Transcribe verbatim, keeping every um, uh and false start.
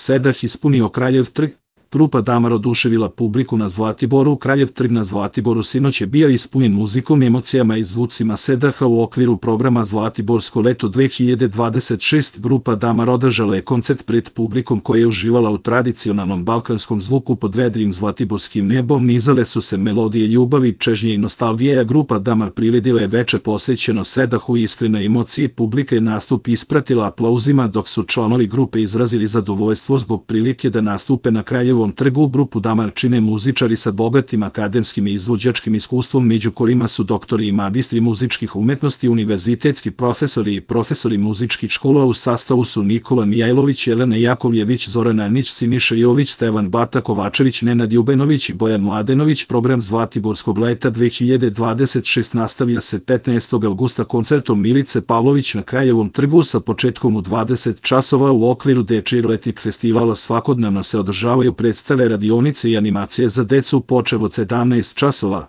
Sedah ispunio Kraljev trg. Grupa Damar oduševila publiku na Zlatiboru. Kraljev trg na Zlatiboru sinoć je bio ispunjen muzikom, emocijama i zvucima Sedaha u okviru programa Zlatiborsko leto dve hiljade dvadeset šest. Grupa Damar održala je koncert pred publikom koja je uživala u tradicionalnom balkanskom zvuku pod vedrim zlatiborskim nebom. Nizale su se melodije ljubavi, čežnje i nostalgije, a grupa Damar priredila je veče posvećeno Sedahu i iskrene emocije publike. Nastup ispratila aplauzima dok su članovi grupe izrazili zadovoljstvo zbog prilike da nastupe na Kraljevu trgu. Grupu Damar čine muzičari sa bogatim akademskim i izvođačkim iskustvom, među kojima su doktori i magistri muzičkih umetnosti, univerzitetski profesori i profesori muzičkih škola. U sastavu su Nikola Mijajlović, Jelena Jakovljević, Zoran Anić, Siniša Jović, Stevan Bata Kovačević, Nenad Jubenović i Bojan Mladenović. Program Zlatiborskog leta dve hiljade dvadeset šest nastavlja se petnaestog avgusta koncertom Milice Pavlović na Kraljevom trgu sa početkom u dvadeset časova. U okviru dečijeg letnjeg festivala svakodnevno se održavaju predstave, radionice i animacije za decu počev od sedamnaest časova.